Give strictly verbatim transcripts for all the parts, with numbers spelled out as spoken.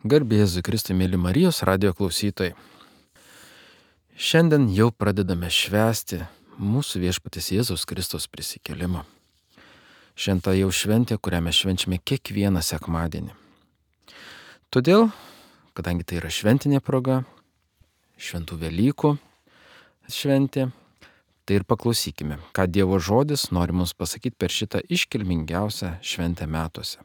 Garbė Jėzui Kristui, mėly Marijos radijo klausytojai. Šiandien jau pradedame švęsti mūsų viešpaties Jėzaus Kristaus prisikėlimą. Šventa jau šventė, kurią mes švenčiame kiekvieną sekmadienį. Todėl, kadangi tai yra šventinė proga, šventų Velykų šventė, tai ir paklausykime, ką Dievo žodis nori mums pasakyti per šitą iškilmingiausią šventę metuose.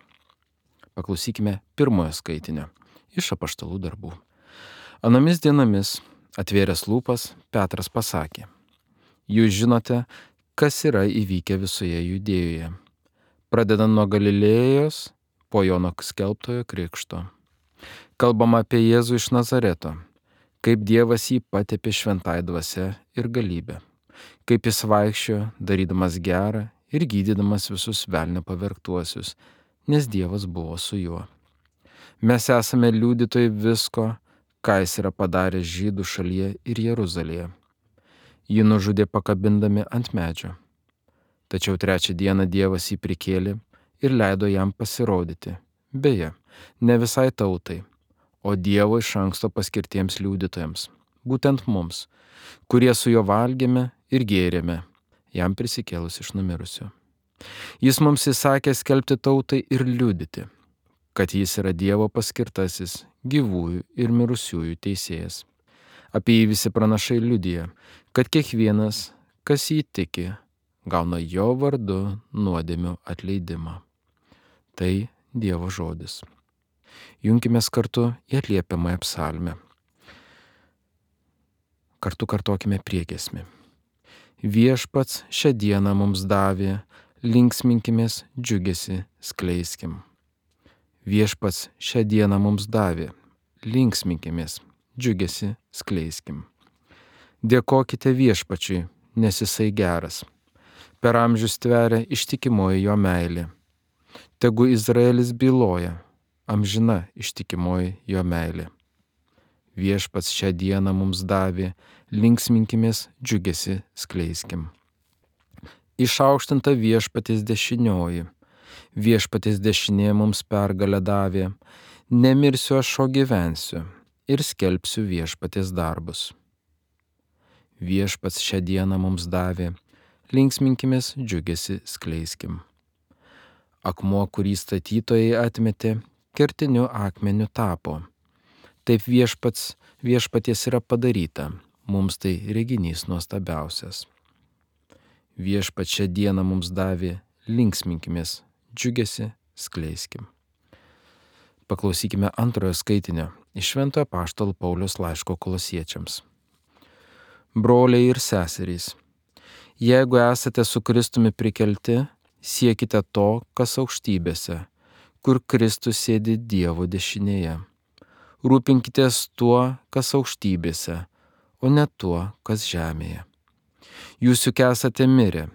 Paklausykime pirmojo skaitinio iš Apaštalų darbų. Anomis dienomis, atvėręs lūpas, Petras pasakė: Jūs žinote, kas yra įvykę visoje Judėjoje, pradedant nuo Galilėjos, po Jono skelbtojo krikšto. Kalbama apie Jėzų iš Nazareto, kaip Dievas jį patepė šventąja dvasia ir galybe, kaip jis vaikščiojo, darydamas gerą ir gydydamas visus velnio pavergtuosius, nes Dievas buvo su juo. Mes esame liudytojai visko, ką jis yra padaręs Žydų šalyje ir Jeruzalėje. Jį nužudė pakabindami ant medžio. Tačiau trečią dieną Dievas jį prikėlė ir leido jam pasirodyti. Beje, ne visai tautai, o Dievo iš anksto paskirtiems liudytojams, būtent mums, kurie su juo valgėme ir gėrėme, jam prisikėlus iš numirusių. Jis mums įsakė skelbti tautai ir liudyti, kad jis yra Dievo paskirtasis, gyvųjų ir mirusiųjų teisėjas. Apie jį visi pranašai liudija, kad kiekvienas, kas jį tiki, gauna jo vardu nuodėmių atleidimą. Tai Dievo žodis. Junkimės kartu į atliepiamąją psalmę. Kartu kartokime priegiesmį. Viešpats šią dieną mums davė, linksminkimės, džiugesi, skleiskim. Viešpats šią dieną mums davė, linksminkimės, džiugesi, skleiskim. Dėkokite viešpačiui, nes jisai geras. Per amžius tveria ištikimoji jo meilė. Tegu Izraelis byloja, amžina ištikimoji jo meilė. Viešpats šią dieną mums davė, linksminkimės, džiugesi, skleiskim. Išaukštinta viešpaties dešinioji. Viešpaties dešinė mums pergalę davė, nemirsiu aš, o gyvensiu ir skelbsiu viešpaties darbus. Viešpats šią dieną mums davė, linksminkimės, džiugesi, skleiskim. Akmuo, kurį statytojai atmetė, kertiniu akmeniu tapo. Taip viešpats, viešpaties yra padaryta, mums tai reginys nuostabiausias. Viešpats šią dieną mums davė, linksminkimės, džiugesi, skleiskim. Paklausykime antrojo skaitinio iš Šventojo Apaštalo Pauliaus laiško Kolosiečiams. Broliai ir seserys, jeigu esate su Kristumi prikelti, siekite to, kas aukštybėse, kur Kristus sėdi Dievo dešinėje. Rūpinkitės tuo, kas aukštybėse, o ne tuo, kas žemėje. Jūs juk esate mirę,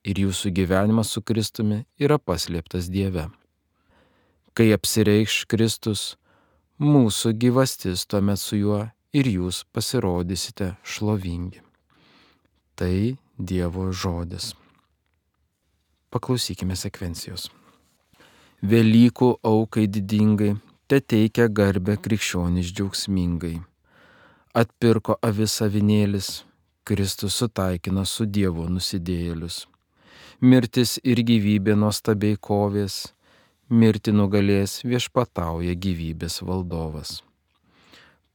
ir jūsų gyvenimas su Kristumi yra paslėptas Dieve. Kai apsireikš Kristus, mūsų gyvastis tuomet su juo ir jūs pasirodysite šlovingi. Tai Dievo žodis. Paklausykime sekvencijos. Velykų aukai didingai, te teikia garbę krikščionys džiaugsmingai. Atpirko avis avinėlis, Kristus sutaikino su Dievu nusidėjėlius. Mirtis ir gyvybė nuostabiai kovės, mirtį nugalės viešpatauja gyvybės valdovas.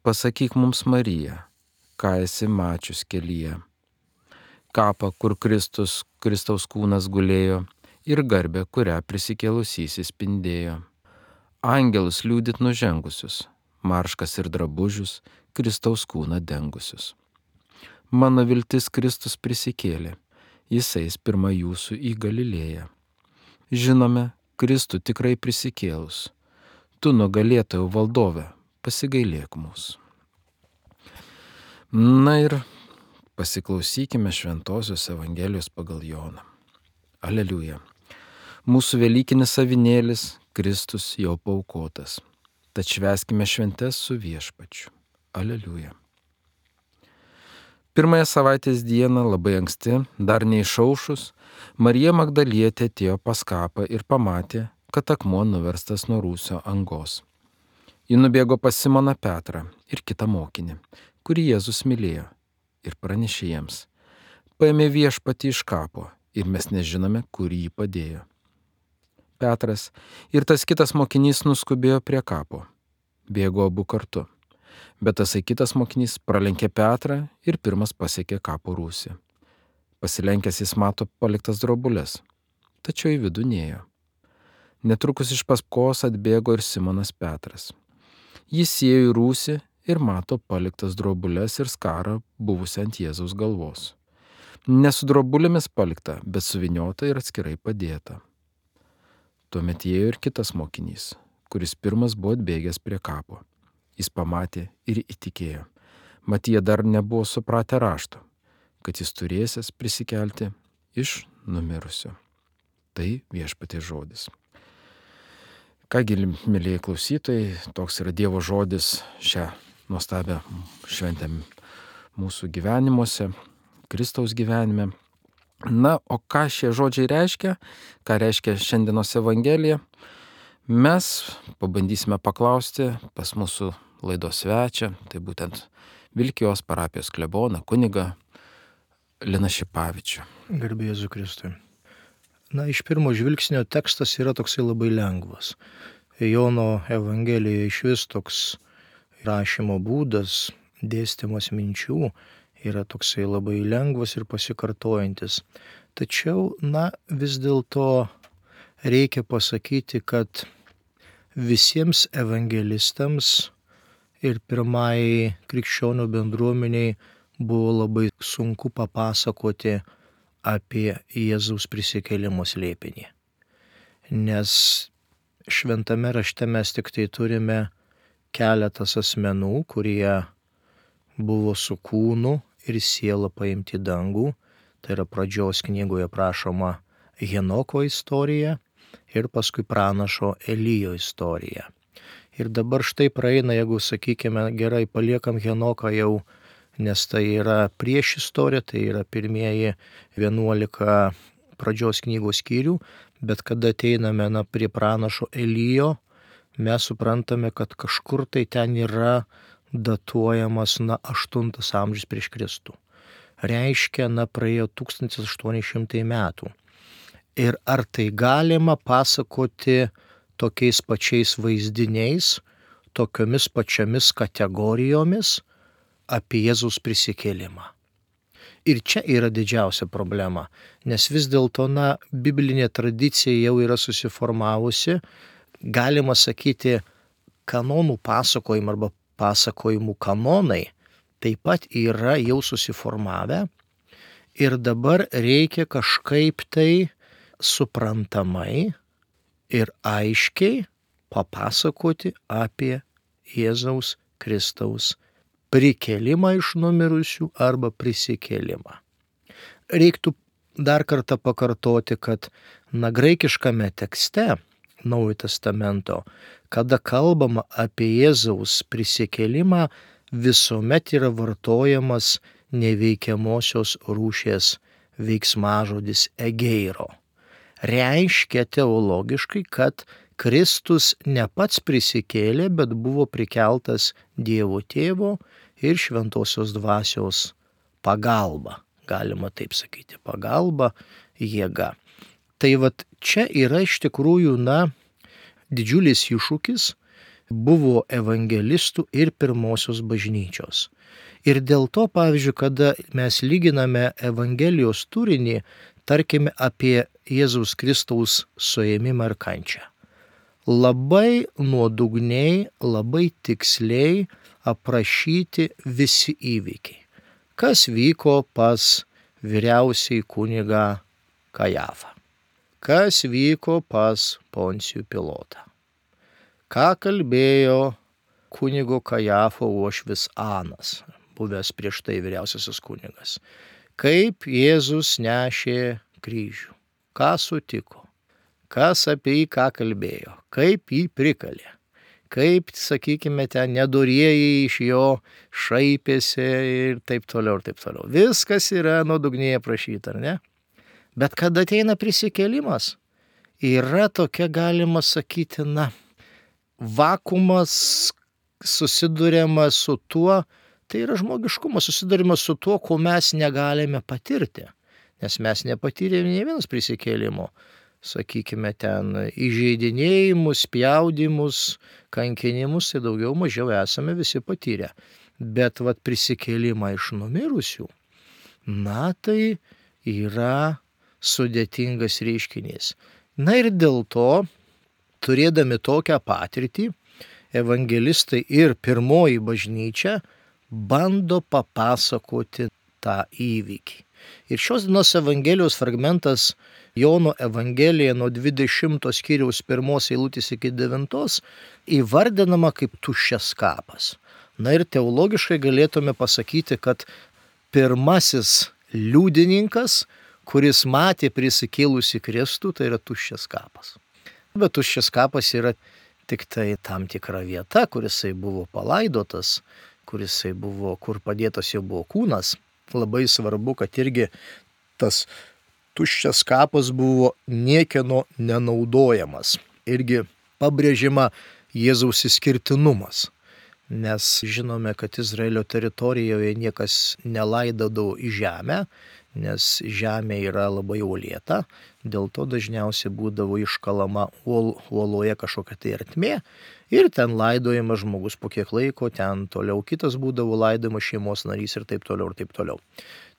Pasakyk mums, Marija, ką esi mačius kelyje. Kapą, kur Kristus, Kristaus kūnas gulėjo, ir garbę, kurią prisikėlusysis spindėjo. Angelus liūdit nužengusius, marškas ir drabužius, Kristaus kūną dengusius. Mano viltis Kristus prisikėlė. Jis eis pirma jūsų į Galilėją. Žinome, Kristų tikrai prisikėlus. Tu nugalėtojų valdove, pasigailėk mūsų. Na ir pasiklausykime Šventosios Evangelijos pagal Joną. Aleliuja. Mūsų velykinis avinėlis Kristus jau paaukotas. Tad švęskime šventes su viešpačiu. Aleliuja. Pirmąją savaitės dieną, labai anksti, dar neišaušus, Marija Magdalietė atėjo pas kapą ir pamatė, kad akmuo nuverstas nuo rūsio angos. Ji nubėgo pas Simoną Petrą ir kitą mokinį, kurį Jėzus mylėjo, ir pranešė jiems: paėmė viešpatį iš kapo ir mes nežinome, kur jį padėjo. Petras ir tas kitas mokinys nuskubėjo prie kapo. Bėgo abu kartu. Bet tasai kitas mokinys pralenkė Petrą ir pirmas pasiekė kapo rūsį. Pasilenkęs jis mato paliktas drobulės, tačiau į vidų nėjo. Netrukus iš paskos atbėgo ir Simonas Petras. Jis įėjo į rūsį ir mato paliktas drobulės ir skarą buvusią ant Jėzaus galvos. Ne su drobulėmis palikta, bet suviniota ir atskirai padėta. Tuomet įėjo ir kitas mokinys, kuris pirmas buvo atbėgęs prie kapo. Jis pamatė ir įtikėjo. Mat jie dar nebuvo supratę rašto, kad jis turėsės prisikelti iš numirusių. Tai Viešpaties žodis. Kągi, mėlyje klausytojai, toks yra Dievo žodis šią nuostabią šventę mūsų gyvenimuose, Kristaus gyvenime. Na, o ką šie žodžiai reiškia, ką reiškia šiandienos Evangelija, mes pabandysime paklausti pas mūsų laidos svečią, tai būtent Vilkijos parapijos kleboną, kunigą Liną Šipavičių. Garbė Jėzui Kristui. Na, iš pirmo žvilgsnio tekstas yra toksai labai lengvas. Jono Evangelijoje iš vis toks rašymo būdas, dėstymas minčių yra toksai labai lengvas ir pasikartojantis. Tačiau, na, vis dėlto reikia pasakyti, kad visiems evangelistams ir pirmai krikščionių bendruomeniai buvo labai sunku papasakoti apie Jėzaus prisikėlimo slėpinį. Nes šventame rašte mes tik tai turime keletas asmenų, kurie buvo su kūnu ir siela paimti į dangų. Tai yra pradžios knygoje prašoma Henoko istorija ir paskui pranašo Elijo istorija. Ir dabar štai praeina, jeigu, sakykime, gerai paliekam Henoką jau, nes tai yra prieš istoriją, tai yra pirmieji vienuolika pradžios knygos skyrių, bet kada ateiname na, prie pranašo Elijo, mes suprantame, kad kažkur tai ten yra datuojamas na, aštuntas amžius prieš Kristų. Reiškia, na, praėjo tūkstantis aštuoni šimtai metų. Ir ar tai galima pasakoti tokiais pačiais vaizdiniais, tokiomis pačiamis kategorijomis apie Jėzaus prisikėlimą? Ir čia yra didžiausia problema, nes vis dėlto, na, biblinė tradicija jau yra susiformavusi, galima sakyti, kanonų pasakojimų arba pasakojimų kanonai taip pat yra jau susiformavę ir dabar reikia kažkaip tai suprantamai ir aiškiai papasakoti apie Jėzaus Kristaus prikėlimą iš numirusių arba prisikėlimą. Reiktų dar kartą pakartoti, kad na, graikiškame tekste Naujojo testamento, kada kalbama apie Jėzaus prisikėlimą, visuomet yra vartojamas neveikiamosios rūšies veiksmažodis egeiro. Reiškia teologiškai, kad Kristus ne pats prisikėlė, bet buvo prikeltas Dievo Tėvo ir Šventosios Dvasios pagalba. Galima taip sakyti, pagalba, jėga. Tai vat čia yra iš tikrųjų, na, didžiulis iššūkis buvo evangelistų ir pirmosios bažnyčios. Ir dėl to, pavyzdžiui, kada mes lyginame Evangelijos turinį, tarkime apie Jėzaus Kristaus suėmimą ir kančią. Labai nuodugniai, labai tiksliai aprašyti visi įvykiai. Kas vyko pas vyriausiai kunigą Kajafą? Kas vyko pas Poncijų Pilotą? Ką kalbėjo kunigo Kajafo uošvis Anas, buvęs prieš tai vyriausiasis kunigas? Kaip Jėzus nešė kryžių? Ką sutiko? Kas apie jį ką kalbėjo? Kaip jį prikalė? Kaip, sakykime, ten nedorieji iš jo šaipėsi ir taip toliau ir taip toliau. Viskas yra nuodugniai aprašyta, ar ne? Bet kada ateina prisikėlimas, yra tokia, galima sakyti, na, vakumas, susiduriama su tuo, tai yra žmogiškumas, susiduriama su tuo, ko mes negalime patirti. Nes mes nepatyrėme ne vienas prisikėlimo, sakykime, ten įžeidinėjimus, spjaudimus, kankinimus, tai daugiau mažiau esame visi patyrę. Bet vat prisikėlimą iš numirusių, na tai yra sudėtingas reiškinys. Na ir dėl to, turėdami tokią patirtį, evangelistai ir pirmoji bažnyčia bando papasakoti tą įvykį. Ir šios dienos Evangelijos fragmentas Jono Evangelija nuo dvidešimto skyriaus pirmos eilutės iki devintos įvardinama kaip tuščias kapas. Na ir teologiškai galėtume pasakyti, kad pirmasis liudininkas, kuris matė prisikėlusi Kristų, tai yra tuščias kapas. Bet tuščias kapas yra tik tai tam tikra vieta, kur jisai buvo palaidotas, kur jisai buvo, kur padėtas jo buvo kūnas. Labai svarbu, kad irgi tas tuščias kapas buvo niekieno nenaudojamas. Irgi pabrėžima Jėzaus išskirtinumas. Nes žinome, kad Izraelio teritorijoje niekas nelaidodavo į žemę, nes žemė yra labai uolėta, dėl to dažniausiai būdavo iškalama uol, uoloje kažkokia tai ertmė ir ten laidojamas žmogus po kiek laiko, ten toliau kitas būdavo laidojamas šeimos narys ir taip toliau ir taip toliau.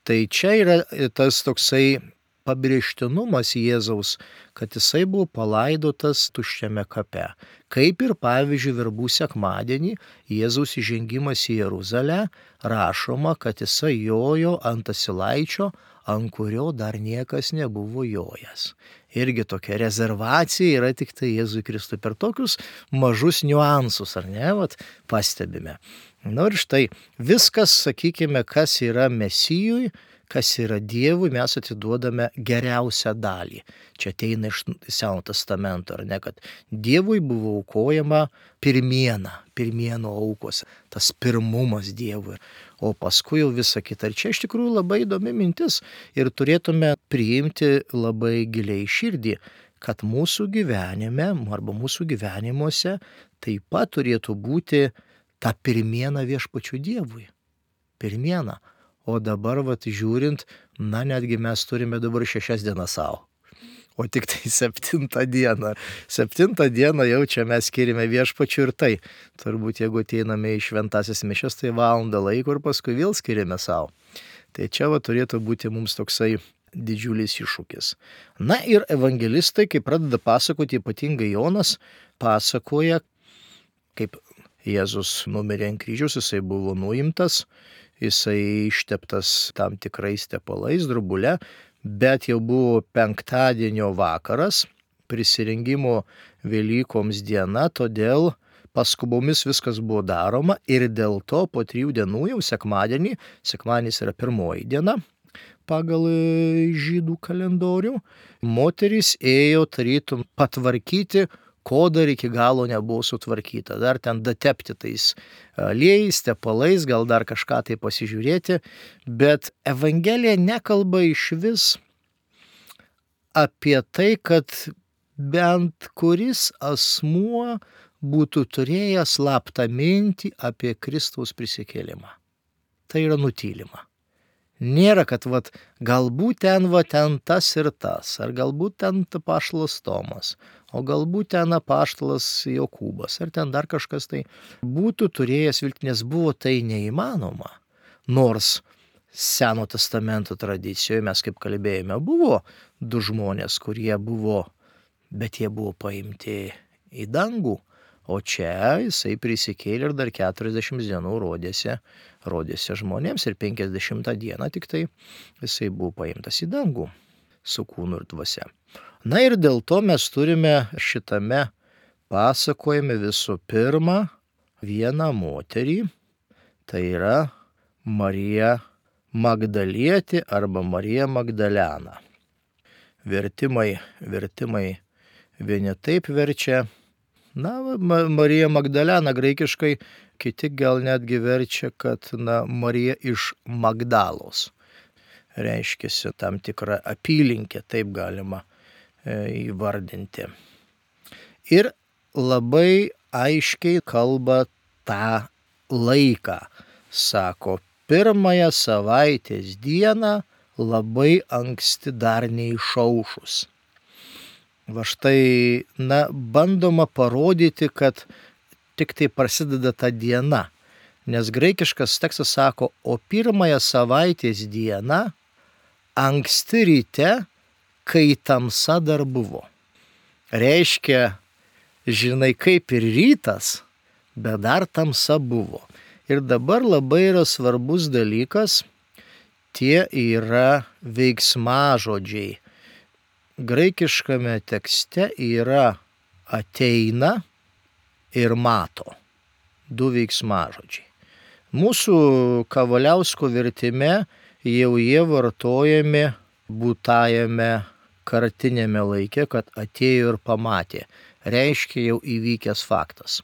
Tai čia yra tas toksai pabrėžtinumas Jėzaus, kad jisai buvo palaidotas tuščiame kape. Kaip ir pavyzdžiui verbų sekmadienį Jėzaus įžengimas į Jeruzalę rašoma, kad jisai jojo ant asilaičio, ant kurio dar niekas nebuvo jojęs. Irgi tokia rezervacija yra tik tai Jėzui Kristui. Per tokius mažus niuansus, ar ne, vat, pastebime. Na ir štai viskas, sakykime, kas yra Mesijui, kas yra Dievui, mes atiduodame geriausią dalį. Čia ateina iš Seno testamento, ar ne, kad Dievui buvo aukojama pirmiena, pirmieno aukos, tas pirmumas Dievui, o paskui jau visa kita. Ir čia iš tikrųjų labai įdomi mintis ir turėtume priimti labai giliai širdį, kad mūsų gyvenime arba mūsų gyvenimuose taip pat turėtų būti ta pirmiena viešpačiu Dievui. Pirmiena. O dabar, vat, žiūrint, na, netgi mes turime dabar šešias dienas savo. O tik tai septintą dieną. Septintą dieną jau čia mes skirime viešpačiu ir tai. Turbūt, jeigu ateiname į šventąsias mišias, tai valandą laiko ir paskui vėl skirime savo. Tai čia, va, turėtų būti mums toksai didžiulis iššūkis. Na ir evangelistai, kai pradeda pasakoti, ypatingai Jonas, pasakoja, kaip Jėzus numirė ant kryžiaus, jisai buvo nuimtas, jisai išteptas tam tikrais tepalais, drobule, bet jau buvo penktadienio vakaras, prisirengimo Velykoms diena, todėl paskubomis viskas buvo daroma ir dėl to po trijų dienų jau sekmadienį, sekmadienis yra pirmoji diena pagal žydų kalendorių, moterys ėjo tarytum patvarkyti, ko dar iki galo nebuvo sutvarkyta. Dar ten datepti tais aliejais, tepalais, gal dar kažką tai pasižiūrėti, bet Evangelija nekalba iš vis apie tai, kad bent kuris asmuo būtų turėjęs slaptą mintį apie Kristaus prisikėlimą. Tai yra nutylima. Nėra, kad vat, galbūt ten, va, ten tas ir tas, ar galbūt ten apaštalas Tomas, o galbūt ten apaštalas Jokūbas, ar ten dar kažkas tai būtų turėjęs viltį, nes buvo tai neįmanoma. Nors Seno testamento tradicijoje mes, kaip kalbėjome, buvo du žmonės, kurie buvo, bet jie buvo paimti į dangų, o čia jisai prisikėlė ir dar keturiasdešimt dienų rodėsi, rodėsi žmonėms ir penkiasdešimtą dieną tik tai jisai buvo paimtas į dangų su kūnu ir dvasia. Na ir dėl to mes turime šitame pasakojime visų pirma vieną moterį, tai yra Marija Magdalietė arba Marija Magdalena. Vertimai, vertimai vieni taip verčia, na, Marija Magdalena graikiškai, kiti gal netgi verčia, kad, na, Marija iš Magdalos. Reiškiasi tam tikra apylinkė, taip galima e, įvardinti. Ir labai aiškiai kalba tą laiką. Sako, pirmąją savaitės dieną labai anksti dar neišaušus. Va štai, na, bandoma parodyti, kad tik tai prasideda ta diena. Nes graikiškas tekstas sako, o pirmąją savaitės dieną anksti ryte, kai tamsa dar buvo. Reiškia, žinai, kaip ir rytas, bet dar tamsa buvo. Ir dabar labai yra svarbus dalykas, tie yra veiksmažodžiai. Graikiškame tekste yra ateina ir mato. Du veiksmažodžiai. Mūsų Kavaliausko vertime jau jie vartojami būtajame kartinėme laike, kad atėjo ir pamatė. Reiškia jau įvykęs faktas.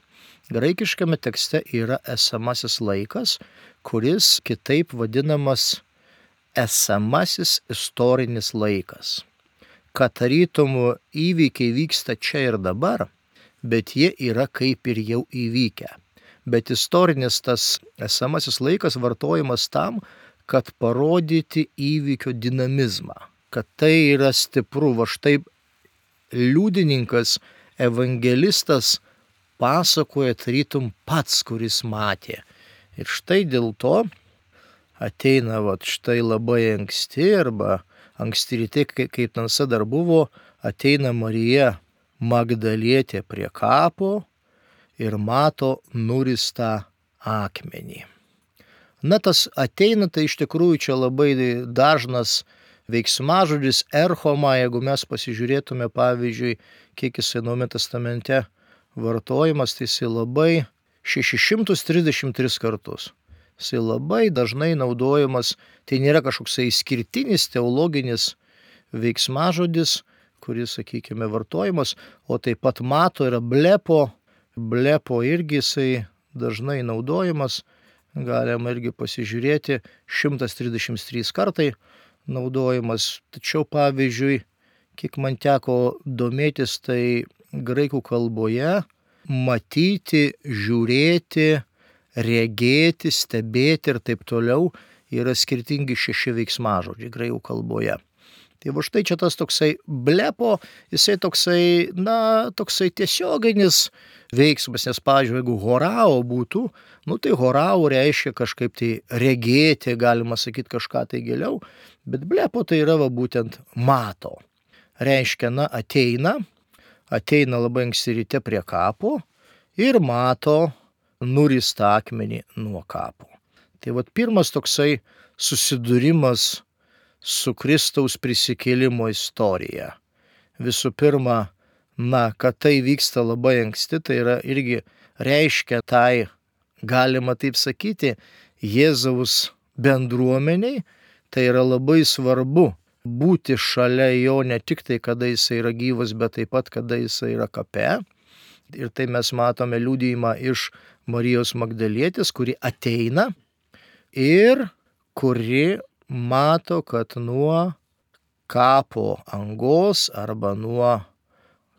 Graikiškame tekste yra esamasis laikas, kuris kitaip vadinamas esamasis istorinis laikas. Kad tarytum įvykiai vyksta čia ir dabar, bet jie yra kaip ir jau įvykę. Bet istorinis tas esamasis laikas vartojamas tam, kad parodyti įvykio dinamizmą. Kad tai yra stipru. Va štai liudininkas, evangelistas pasakoja tarytum pats, kuris matė. Ir štai dėl to ateina va štai labai anksti arba anksti ryte, kaip tamsa dar buvo, ateina Marija Magdalietė prie kapo ir mato nuristą akmenį. Na, tas ateina, tai iš tikrųjų čia labai dažnas veiksmažodis erchoma, jeigu mes pasižiūrėtume, pavyzdžiui, kiek jisai Naujame testamente vartojimas, tai jisai labai šešis šimtus trisdešimt tris kartus. Jisai labai dažnai naudojamas, tai nėra kažkoks išskirtinis teologinis veiksmažodis, kuris, sakykime, vartojimas, o taip pat mato yra blepo, blepo irgi jisai dažnai naudojamas, galima irgi pasižiūrėti, šimtas trisdešimt trys kartai naudojamas. Tačiau, pavyzdžiui, kiek man teko domėtis, tai graikų kalboje matyti, žiūrėti, regėti, stebėti ir taip toliau yra skirtingi šeši veiksmažodžiai graikų kalboje. Tai va štai čia tas toksai blepo, jisai toksai, na, toksai tiesioginis veiksmas, nes, pavyzdžiui, jeigu horao būtų, nu tai horao reiškia kažkaip tai regėti, galima sakyti kažką tai giliau, bet blepo tai yra va būtent mato. Reiškia, na, ateina, ateina labai anksti ryte prie kapo ir mato nuristą akmenį nuo kapo. Tai va pirmas toksai susidūrimas su Kristaus prisikėlimo istorija. Visų pirma, na, kad tai vyksta labai anksti, tai yra irgi reiškia tai, galima taip sakyti, Jėzaus bendruomeniai, tai yra labai svarbu būti šalia jo ne tik tai, kada jis yra gyvas, bet taip pat, kada jis yra kape. Ir tai mes matome liudijimą iš Marijos Magdalietės, kuri ateina ir kuri mato, kad nuo kapo angos arba nuo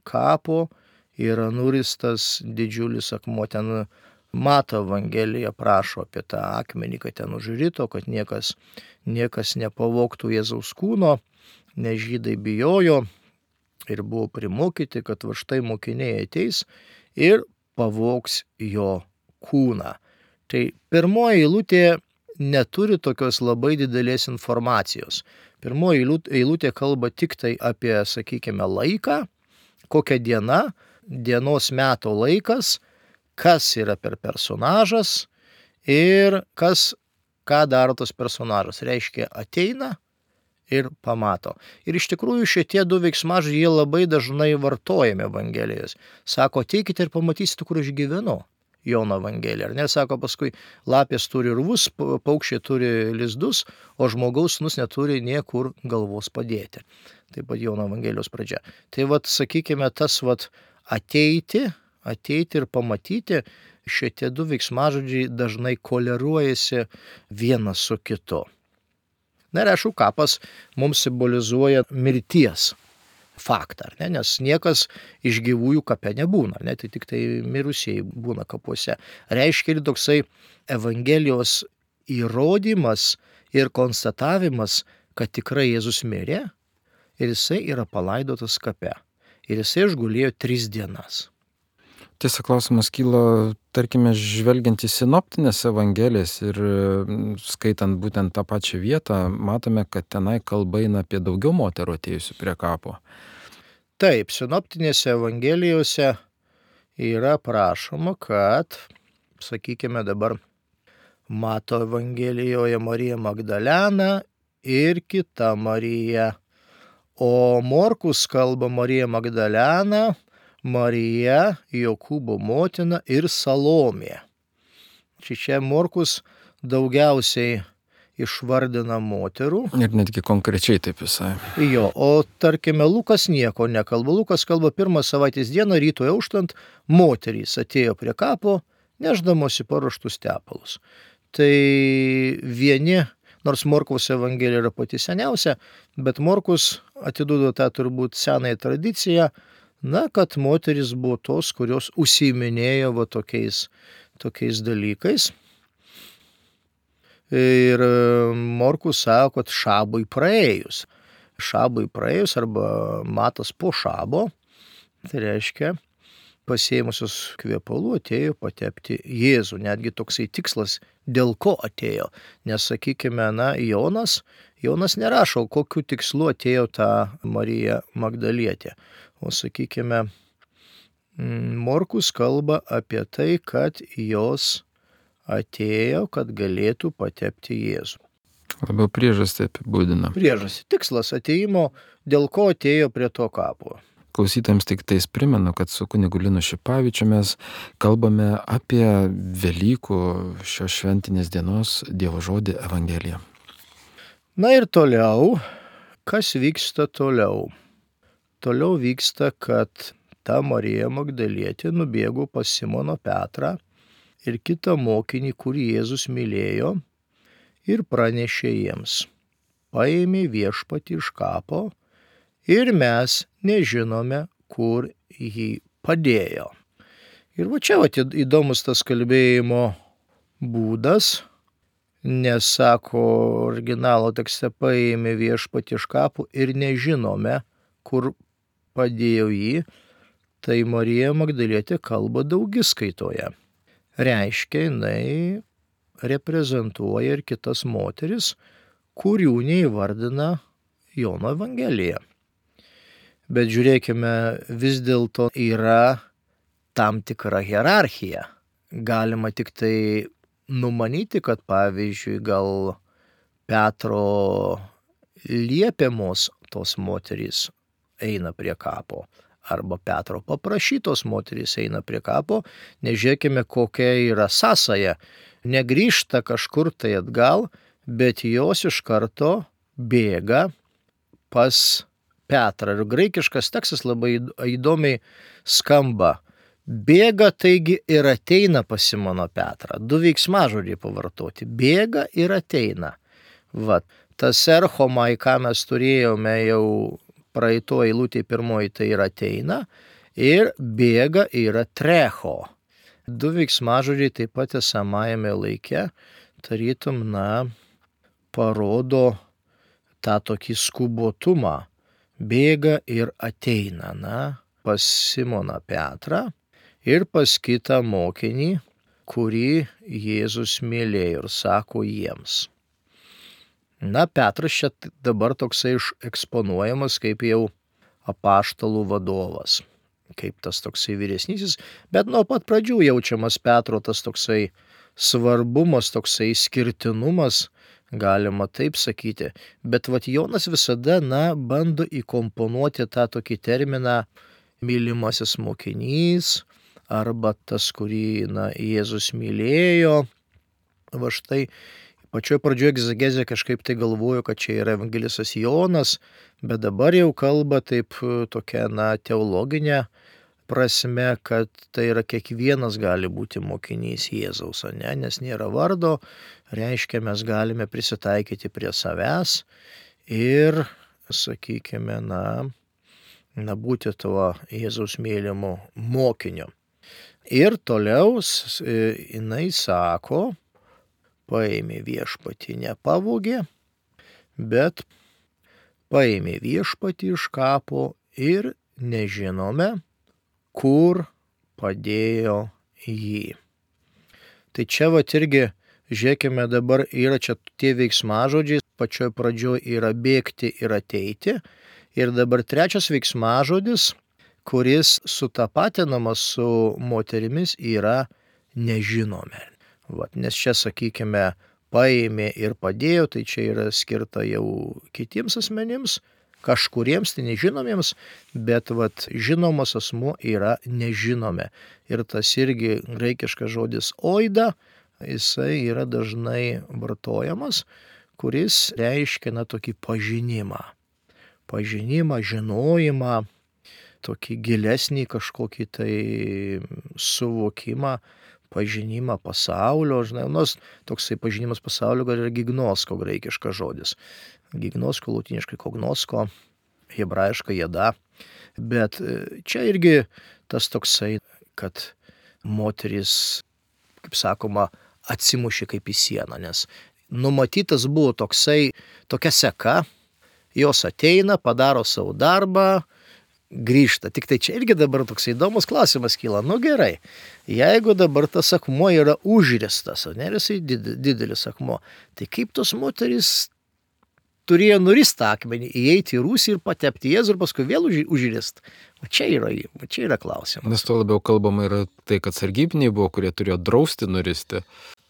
kapo yra nuristas didžiulis akmuo. Ten Mato Evangelija prašo apie tą akmenį, kad ten užrito, kad niekas, niekas nepavogtų Jėzaus kūno, nes žydai bijojo ir buvo primokyti, kad va štai mokiniai ateis ir pavogs jo kūną. Tai pirmoji eilutė neturi tokios labai didelės informacijos. Pirmoji eilutė kalba tik tai apie, sakykime, laiką, kokia diena, dienos meto laikas, kas yra per personažas ir kas, ką daro tas personažas. Reiškia, ateina ir pamato. Ir iš tikrųjų šitie du veiksmažodžiai jie labai dažnai vartojami Evangelijos. Sako, ateikite ir pamatysite, kur aš gyvenu. Jono Evangelija. Ar ne, sako paskui, lapės turi rūvus, paukščiai turi lizdus, o žmogaus sūnus neturi niekur galvos padėti. Taip pat Jono Evangelijos pradžia. Tai vat, sakykime, tas vat ateiti, ateiti ir pamatyti, šitie du veiksmažodžiai dažnai koleruojasi vienas su kitu. Na ir aišku, kapas mums simbolizuoja mirties faktą, ar ne? Nes niekas iš gyvųjų kape nebūna, ar ne? Tai tik tai mirusieji būna kapuose. Reiškia ir toksai Evangelijos įrodymas ir konstatavimas, kad tikrai Jėzus mirė ir jisai yra palaidotas kape. Ir jisai išgulėjo tris dienas. Tiesa, klausimas kyla, tarkime, žvelgiant į sinoptinės evangelijas ir skaitant būtent tą pačią vietą, matome, kad tenai kalba eina apie daugiau moterų atėjusių prie kapo. Taip, sinoptinėse evangelijose yra prašoma, kad, sakykime dabar, Mato evangelijoje Marija Magdalena ir kita Marija, o Morkus kalba Marija Magdalena, Marija, Jokūbo motina ir Salomė. Čia Morkus daugiausiai išvardina moterų. Ir netgi konkrečiai taip visai. Jo, o tarkime, Lukas nieko nekalba. Lukas kalba pirmą savaitės dieną, rytoj auštant, moterys atėjo prie kapo, nešdamosi paruoštus tepalus. Tai vieni, nors Morkaus evangelija yra pati seniausia, bet Morkus atiduoda tą turbūt senąją tradiciją, na, kad moteris buvo tos, kurios užsiiminėjo va tokiais, tokiais dalykais. Ir Morkus sako, kad šabui praėjus. Šabui praėjus arba matas po šabo, tai reiškia, pasiėmusios kvepalų atėjo patepti Jėzų. Netgi toksai tikslas, dėl ko atėjo. Nes, sakykime, na, Jonas, Jonas nerašo, kokiu tikslu atėjo ta Marija Magdalietė. O, sakykime, Morkus kalba apie tai, kad jos atėjo, kad galėtų patepti Jėzų. Labiau priežastį apibūdina. Priežastį. Tikslas atėjimo, dėl ko atėjo prie to kapo. Klausytojams tik tais primenu, kad su kunigu Linu Šipavičiu mes kalbame apie Velykų šios šventinės dienos Dievo žodį Evangeliją. Na ir toliau, kas vyksta toliau? Toliau vyksta, kad ta Marija Magdalietė nubėgo pas Simoną Petrą ir kitą mokinį, kurį Jėzus mylėjo, ir pranešė jiems. Paėmė viešpatį iš kapo ir mes nežinome, kur jį padėjo. Ir va čia va, įdomus tas kalbėjimo būdas, nes sako originalo tekste, paėmė viešpatį iš kapo ir nežinome, kur padėjo jį, tai Marija Magdalietė kalba daugiskaitoje. Reiškia, jinai reprezentuoja ir kitas moteris, kurių neįvardina Jono Evangelija. Bet žiūrėkime, vis dėlto yra tam tikra hierarchija. Galima tik tai numanyti, kad pavyzdžiui, gal Petro liepiamos tos moterys eina prie kapo, arba Petro paprašytos moterys eina prie kapo, nežiūrėkime, kokia yra sąsaja. Negrįžta kažkur tai atgal, bet jos iš karto bėga pas Petrą. Ir graikiškas tekstas labai įdomiai skamba. Bėga, taigi ir ateina pas Simoną Petrą. Du veiksmažodžiai pavartoti. Bėga ir ateina. Vat, tas erchomai, ką mes turėjome jau praeito eilutė pirmoji, tai yra ateina, ir bėga yra trecho. Du veiksmažodžiai taip pat esamajame laike, tarytum, na, parodo tą tokį skubotumą. Bėga ir ateina, na, pas Simoną Petrą ir pas kitą mokinį, kurį Jėzus mylėjo, ir sako jiems. Na, Petras čia dabar toksai eksponuojamas kaip jau apaštalų vadovas, kaip tas toksai vyresnysis, bet nuo pat pradžių jaučiamas Petro tas toksai svarbumas, toksai skirtinumas, galima taip sakyti. Bet vat Jonas visada, na, bando įkomponuoti tą tokį terminą mylimasis mokinys, arba tas, kurį, na, Jėzus mylėjo. Va štai pačioj pradžioje egzegezė kažkaip tai galvoju, kad čia yra evangelistas Jonas, bet dabar jau kalba taip tokia, na, teologinė prasme, kad tai yra kiekvienas gali būti mokinys Jėzaus, ne? Nes nėra vardo, reiškia, mes galime prisitaikyti prie savęs ir, sakykime, na, na, būti tuo Jėzaus mylimu mokiniu. Ir toliau jinai sako, paėmė viešpatį, nepavogė, bet paėmė viešpatį iš kapo ir nežinome, kur padėjo jį. Tai čia vat irgi, žiūrėkime, dabar yra čia tie veiksmažodžiai, pačioj pradžioj yra bėgti ir ateiti. Ir dabar trečias veiksmažodis, kuris sutapatinamas su moterimis, yra nežinome. Vat, nes čia, sakykime, paėmė ir padėjo, tai čia yra skirta jau kitiems asmenims, kažkuriems tai nežinomiems, bet vat, žinomas asmuo yra nežinome. Ir tas irgi graikiškas žodis oida, jisai yra dažnai vartojamas, kuris reiškia na tokį pažinimą. Pažinimą, žinojimą, tokį gilesnį kažkokį tai suvokimą, pažinimą pasaulio, žinai, nors toksai pažinimas pasaulio gal yra gignosko graikiškas žodis. Gignosko, lotiniškai kognosko, hebrajiškai jada. Bet čia irgi tas toksai, kad moteris, kaip sakoma, atsimušė kaip į sieną, nes numatytas buvo toksai, tokia seka, jos ateina, padaro savo darbą, grįžta. Tik tai čia irgi dabar toks įdomus klausimas kyla. Nu gerai, jeigu dabar tas akmuo yra užristas, ne, jisai didelis akmuo, tai kaip tos moterys turėjo nurist akmenį, įeiti į rūsį ir patepti Jėzų ir paskui vėl užrist? O čia yra, o čia yra klausimas. Nes to labiau kalbama yra tai, kad sargybiniai buvo, kurie turėjo drausti nuristi.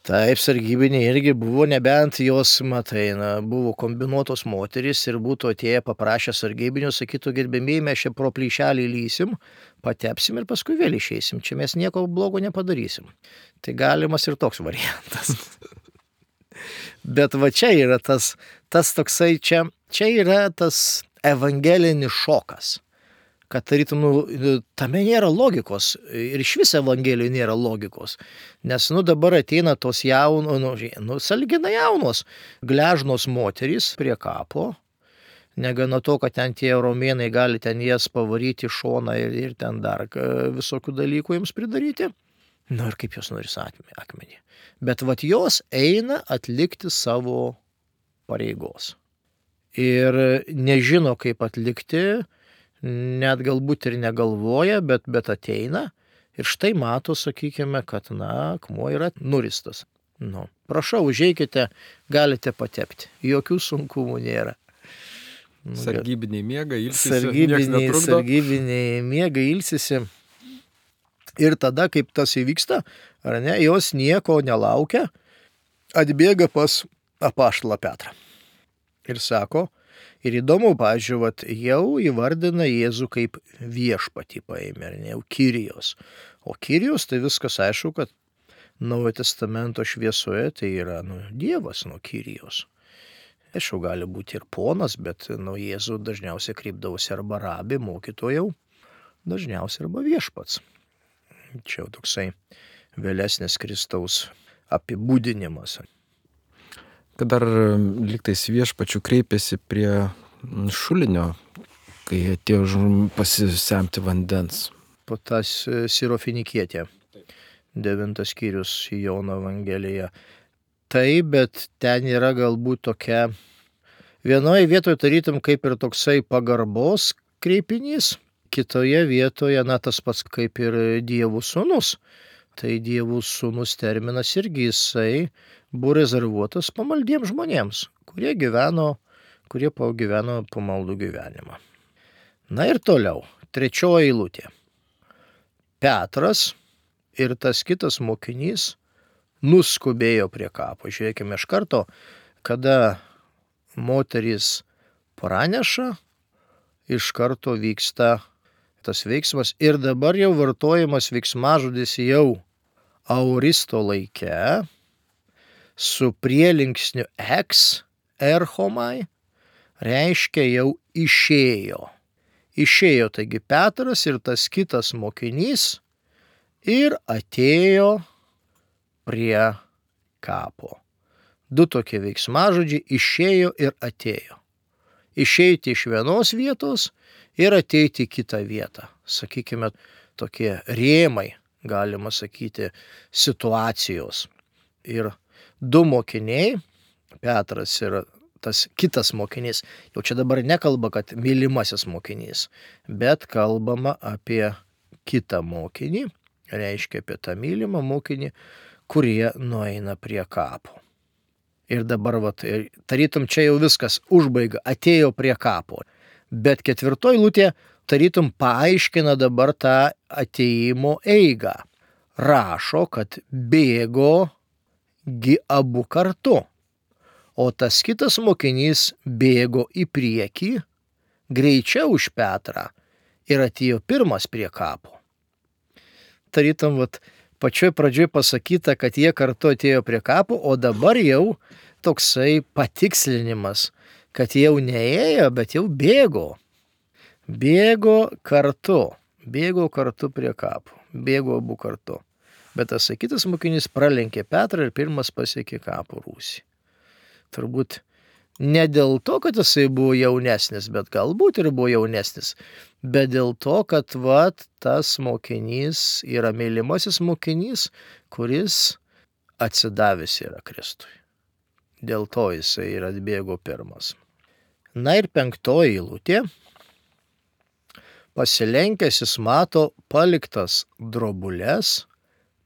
Taip, sargybiniai irgi buvo, nebent jos, matai, na, buvo kombinuotos moterys ir būtų atėję paprašę sargybinių, sakytų, gerbėmiai, mes čia pro plyšelį lysim, patepsim ir paskui vėl išeisim. Čia mes nieko blogo nepadarysim. Tai galimas ir toks variantas. Bet va čia yra tas, tas toksai, čia, čia yra tas evangelinis šokas. Kad tarytum, nu, tame nėra logikos ir iš vis evangelijoje nėra logikos. Nes, nu, dabar ateina tos jaunos, nu, nu sąlyginai jaunos, gležnos moterys prie kapo. Negana to, kad ten tie romėnai gali ten jas pavaryti šoną ir, ir ten dar visokių dalykų jiems pridaryti. Nu ir kaip jos noris akmenį. Bet vat jos eina atlikti savo pareigos. Ir nežino, kaip atlikti, net galbūt ir negalvoja, bet, bet ateina ir štai mato, sakykime, kad, na, akmuo yra nuristas. Nu, prašau, užeikite, galite patepti. Jokių sunkumų nėra. Sargybiniai miega, ilsisi, sargybiniai, sargybiniai miega, ilsisi. Ir tada, kaip tas įvyksta, ar ne, jos nieko nelaukia, atbėga pas apaštalą Petrą. Ir sako, ir įdomu, pavyzdžiui, vat, jau įvardina Jėzų kaip viešpatį paėmė, ar ne, jau Kyrijos. O Kyrijos tai viskas aišku, kad Naujojo testamento šviesoje tai yra, nu, Dievas, nu, Kyrijos. Aišku, gali būti ir ponas, bet, nu, Jėzų dažniausiai kreipdavosi arba rabi, mokytojau, dažniausiai arba viešpats. Čia jau toksai vėlesnis Kristaus apibūdinimas. Kad dar lygtais viešpačių kreipėsi prie šulinio, kai atėjo pasisemti vandens. Po tas Sirofinikietė, devintas skyrius Jono Evangelija. Taip, bet ten yra galbūt tokia, vienoje vietoje tarytum kaip ir toksai pagarbos kreipinys, kitoje vietoje, na, tas pats kaip ir Dievų sūnus. Tai Dievų sūnus terminas irgi jisai buvo rezervuotas pamaldiems žmonėms, kurie gyveno, kurie gyveno pamaldų gyvenimą. Na ir toliau, trečioji eilutė. Petras ir tas kitas mokinys nuskubėjo prie kapo. Žiūrėkime iš karto, kada moteris praneša, iš karto vyksta tas veiksmas ir dabar jau vartojamas veiksmažodis jau auristo laike su prielinksniu eks, erchomai, reiškia jau išėjo. Išėjo, taigi Petras ir tas kitas mokinys ir atėjo prie kapo. Du tokie veiksmažodžiai, išėjo ir atėjo. išeiti iš vienos vietos ir ateiti į kitą vietą. Sakykime, tokie rėmai, galima sakyti, situacijos. Ir du mokiniai, Petras ir tas kitas mokinys, jau čia dabar nekalba, kad mylimasis mokinys, bet kalbama apie kitą mokinį, reiškia apie tą mylimą mokinį, kurie nueina prie kapo. Ir dabar, vat, tarytum čia jau viskas užbaiga, atėjo prie kapo. Bet ketvirtoj eilutė tarytum paaiškina dabar tą atėjimo eigą. Rašo, kad bėgo gi abu kartu, o tas kitas mokinys bėgo į priekį, greičiau už Petrą ir atėjo pirmas prie kapo. Tarytum, vat, pačioj pradžioj pasakyta, kad jie kartu atėjo prie kapo, o dabar jau toksai patikslinimas, kad jau neėjo, bet jau bėgo. Bėgo kartu, bėgo kartu prie kapo, bėgo abu kartu. Bet tas kitas mokinys pralenkė Petrą ir pirmas pasiekė kapo rūsį. Turbūt ne dėl to, kad jisai buvo jaunesnis, bet galbūt ir buvo jaunesnis, bet dėl to, kad vat, tas mokinys yra mylimasis mokinys, kuris atsidavęs yra Kristui. Dėl to jisai ir atbėgo pirmas. Na ir penktoji eilutė. Pasilenkęs jis mato paliktas drobules,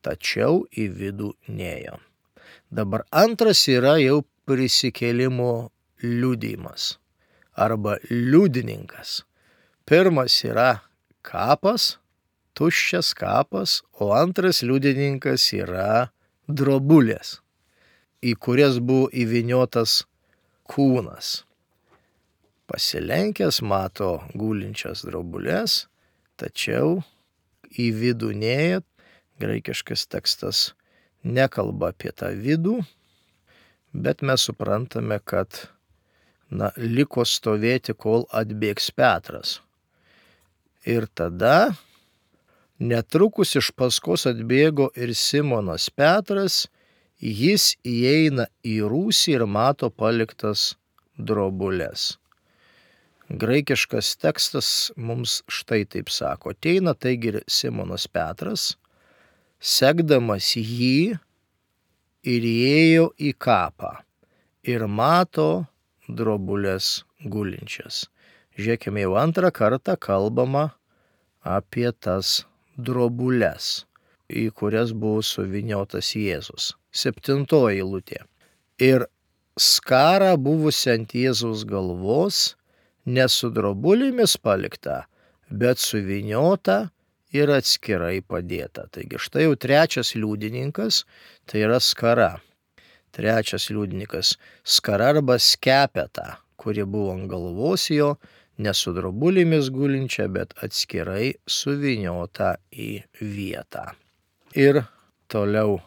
tačiau į vidų nėjo. Dabar antras yra jau prisikėlimo liudijimas arba liudininkas. Pirmas yra kapas, tuščias kapas, o antras liudininkas yra drobulės, į kurias buvo įvyniotas kūnas. Pasilenkęs mato gulinčias drobulės, tačiau į vidų nėjo. Graikiškas tekstas nekalba apie tą vidų, bet mes suprantame, kad na, liko stovėti, kol atbėgs Petras. Ir tada netrukus iš paskos atbėgo ir Simonas Petras, jis įeina į rūsį ir mato paliktas drobules. Graikiškas tekstas mums štai taip sako. Ateina taigi ir Simonas Petras, sekdamas jį ir įėjo į kapą ir mato drobulės gulinčias. Žiūrėkime, jau antrą kartą kalbama apie tas drobulės, į kurias buvo suvyniotas Jėzus. Septintoji eilutė. Ir skarą buvusi ant Jėzaus galvos, ne su drobulėmis palikta, bet suvyniota ir atskirai padėta. Taigi štai jau trečias liudininkas, tai yra skara. Trečias liudininkas skara arba skepeta, kuri buvo ant galvos jo, ne su drobulėmis gulinčia, bet atskirai suvyniota į vietą. Ir toliau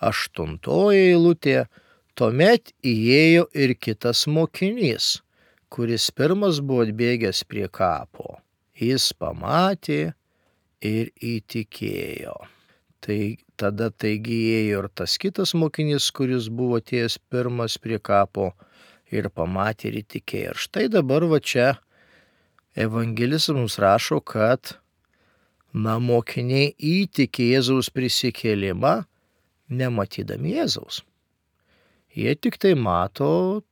aštuntoji eilutė. Tuomet įėjo ir kitas mokinys, kuris pirmas buvo atbėgęs prie kapo. Jis pamatė ir įtikėjo. Tai tada taigi įėjo ir tas kitas mokinys, kuris buvo atėjęs pirmas prie kapo ir pamatė ir įtikėjo. Ir štai dabar va čia evangelistas mums rašo, kad na, mokiniai įtikė Jėzaus prisikėlimą, nematydami Jėzaus. Jie tik tai mato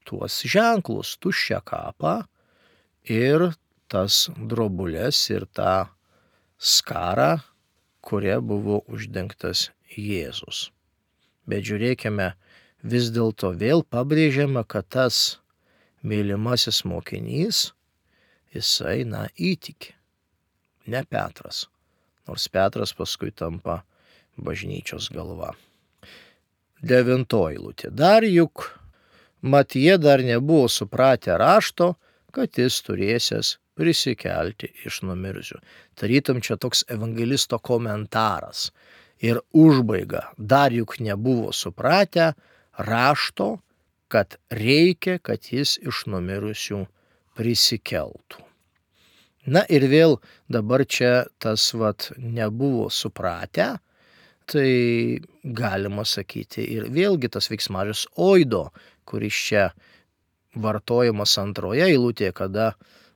tuos ženklus, tuščią kapą ir tas drobulės ir tą skarą, kuria buvo uždengtas Jėzus. Bet žiūrėkime, vis dėlto vėl pabrėžiama, kad tas mylimasis mokinys, jisai, na, įtikė, ne Petras, nors Petras paskui tampa bažnyčios galva. Devintoji eilutė. Dar juk mat jie dar nebuvo supratę rašto, kad jis turėsias prisikelti iš numirusių. Tarytum čia toks evangelisto komentaras ir užbaiga. Dar juk nebuvo supratę rašto, kad reikia, kad jis iš numirusių prisikeltų. Na ir vėl dabar čia tas vat nebuvo supratę, tai galima sakyti ir vėlgi tas veiksmažodis oido, kuris čia vartojamas antroje eilutėje, kada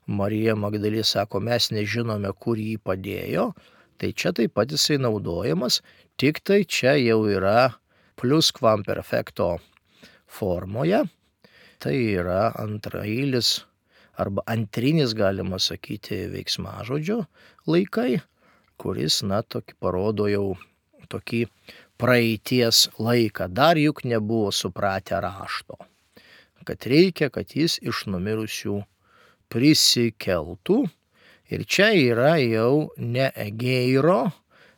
Marija Magdalė sako, mes nežinome, kur jį padėjo, tai čia taip pat jisai naudojamas, tik tai čia jau yra plusquamperfecto formoje, tai yra antraeilis arba antrinis, galima sakyti, veiksmažodžio laikai, kuris, na, tokį parodo jau tokį praeities laiką. Dar juk nebuvo supratę rašto, kad reikia, kad jis iš numirusių prisikeltų. Ir čia yra jau ne egeiro,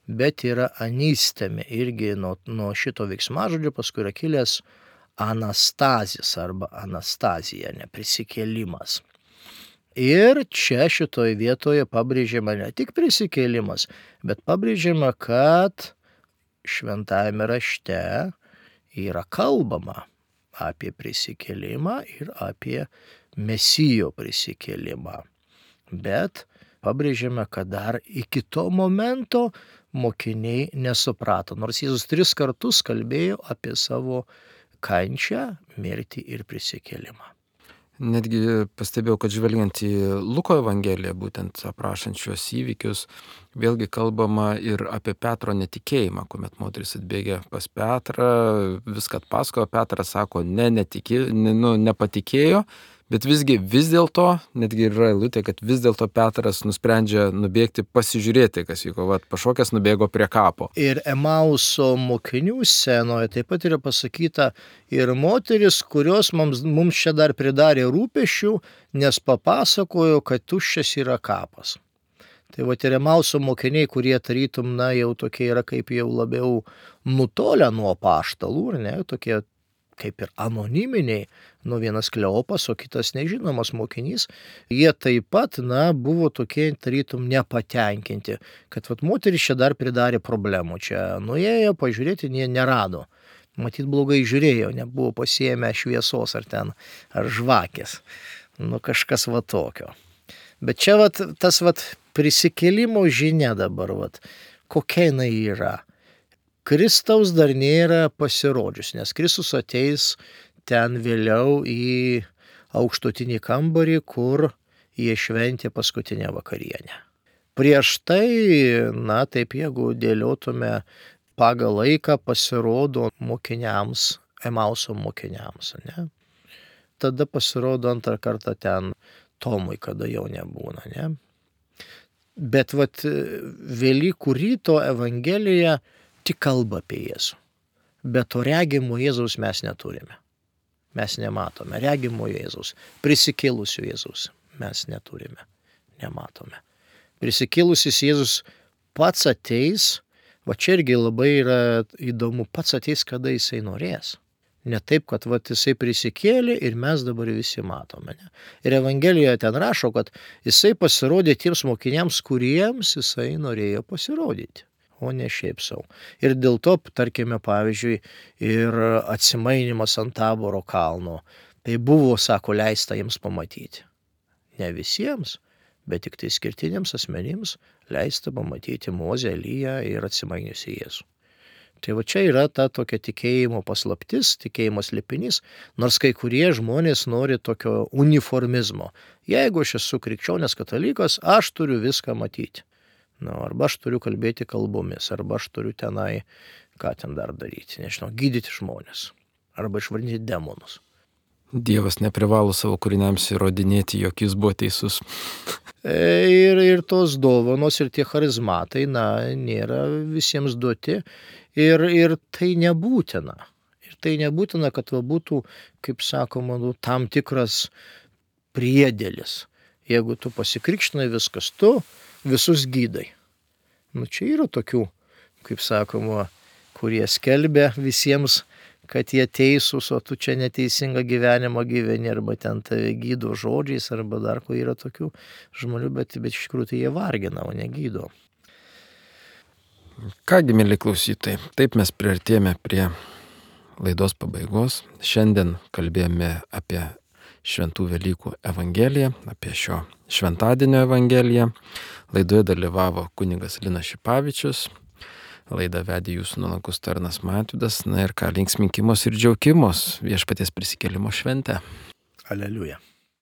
bet yra anistemi. Irgi nuo, nuo šito veiksmažodžio paskui yra kilęs anastazis arba anastazija, neprisikėlimas. Ir čia šitoje vietoje pabrėžiama ne tik prisikėlimas, bet pabrėžiama, kad šventajame rašte yra kalbama apie prisikėlimą ir apie Mesijo prisikėlimą. Bet pabrėžiame, kad dar iki to momento mokiniai nesuprato, nors Jėzus tris kartus kalbėjo apie savo kančią, mirtį ir prisikėlimą. Netgi pastebėjau, kad žvelgiant į Luko Evangeliją, būtent aprašant šios įvykius, vėlgi kalbama ir apie Petro netikėjimą, kuomet moteris atbėgė pas Petrą, viską atpasakojo, Petras sako, ne, netikė, ne, nu, nepatikėjo, bet visgi vis dėlto, netgi yra eilutė, kad vis dėlto Petras nusprendžia nubėgti pasižiūrėti, kas vyko, vat, pašokęs nubėgo prie kapo. Ir Emauso mokinių scenoje taip pat yra pasakyta ir moteris, kurios mums, mums čia dar pridarė rūpesčių, nes papasakojo, kad tuščias yra kapas. Tai vat ir Emauso mokiniai, kurie tarytum, na, jau tokie yra kaip jau labiau nutolę nuo apaštalų, ar ne, tokie kaip ir anoniminiai, nu vienas Kleopas, o kitas nežinomas mokinys, jie taip pat, na, buvo tokie tarytum nepatenkinti, kad vat moteris čia dar pridarė problemų, čia nuėjo pažiūrėti, jie nerado. Matyt, blogai žiūrėjo, nebuvo pasiėmę šviesos ar ten, ar žvakės, nu kažkas va tokio. Bet čia vat tas vat prisikėlimo žinia dabar, vat, kokia jinai yra. Kristaus dar nėra pasirodžius, nes Kristus ateis ten vėliau į aukštutinį kambarį, kur jie šventė paskutinę vakarienę. Prieš tai, na taip, jeigu dėliotume pagal laiką, pasirodo mokiniams, Emauso mokiniams, ne? Tada pasirodo antrą kartą ten Tomui, kada jau nebūna, ne? Bet vat Velykų ryto Evangelija tik kalba apie Jėzų. Bet to regimo Jėzaus mes neturime. Mes nematome. Regimo Jėzaus, prisikėlusio Jėzaus mes neturime. Nematome. Prisikėlusis Jėzus pats ateis, va čia irgi labai yra įdomu, pats ateis, kada jisai norės. Ne taip, kad va jisai prisikėlė ir mes dabar visi matome. Ne? Ir Evangelijoje ten rašo, kad jisai pasirodė tiems mokiniams, kuriems jisai norėjo pasirodyti, o ne šiaip savo. Ir dėl to, tarkime, pavyzdžiui, ir atsimainimas ant Taboro kalno, tai buvo, sako, leista jiems pamatyti. Ne visiems, bet tik tai skirtiniams asmenims leista pamatyti Mozę, Eliją ir atsimainiusi Jėzų. Tai va čia yra ta tokia tikėjimo paslaptis, tikėjimo slėpinys, nors kai kurie žmonės nori tokio uniformizmo. Jeigu aš esu krikščionis katalikas, aš turiu viską matyti. Na, arba aš turiu kalbėti kalbomis, arba aš turiu tenai, ką ten dar daryti, nežinau, gydyti žmonės, arba išvarinti demonus. Dievas neprivalo savo kūriniams įrodinėti, jog jis buvo teisus. Ir, ir tos dovanos ir tie charizmatai, na, nėra visiems duoti ir, ir tai nebūtina. Ir tai nebūtina, kad va būtų, kaip sakoma, nu, tam tikras priedėlis. Jeigu tu pasikrikštinai viskas, tu visus gydai. Nu, čia yra tokių, kaip sakoma, kurie skelbia visiems, kad jie teisūs, o tu čia neteisingą gyvenimą gyveni, arba ten tave gydo žodžiais, arba dar ko yra tokių žmonių, bet, bet iš tikrųjų tai jie vargina, o ne gydo. Kągi, mieli klausytojai, taip mes priartėjome prie laidos pabaigos. Šiandien kalbėjome apie Šventų Velykų Evangeliją, apie šio šventadienio Evangeliją. Laidoje dalyvavo kunigas Linas Šipavičius. Laidą vedė jūsų nuolankus tarnas Matydas. Na ir ką, linksminkimos ir džiaukimos Viešpaties prisikėlimo šventę. Aleliuja.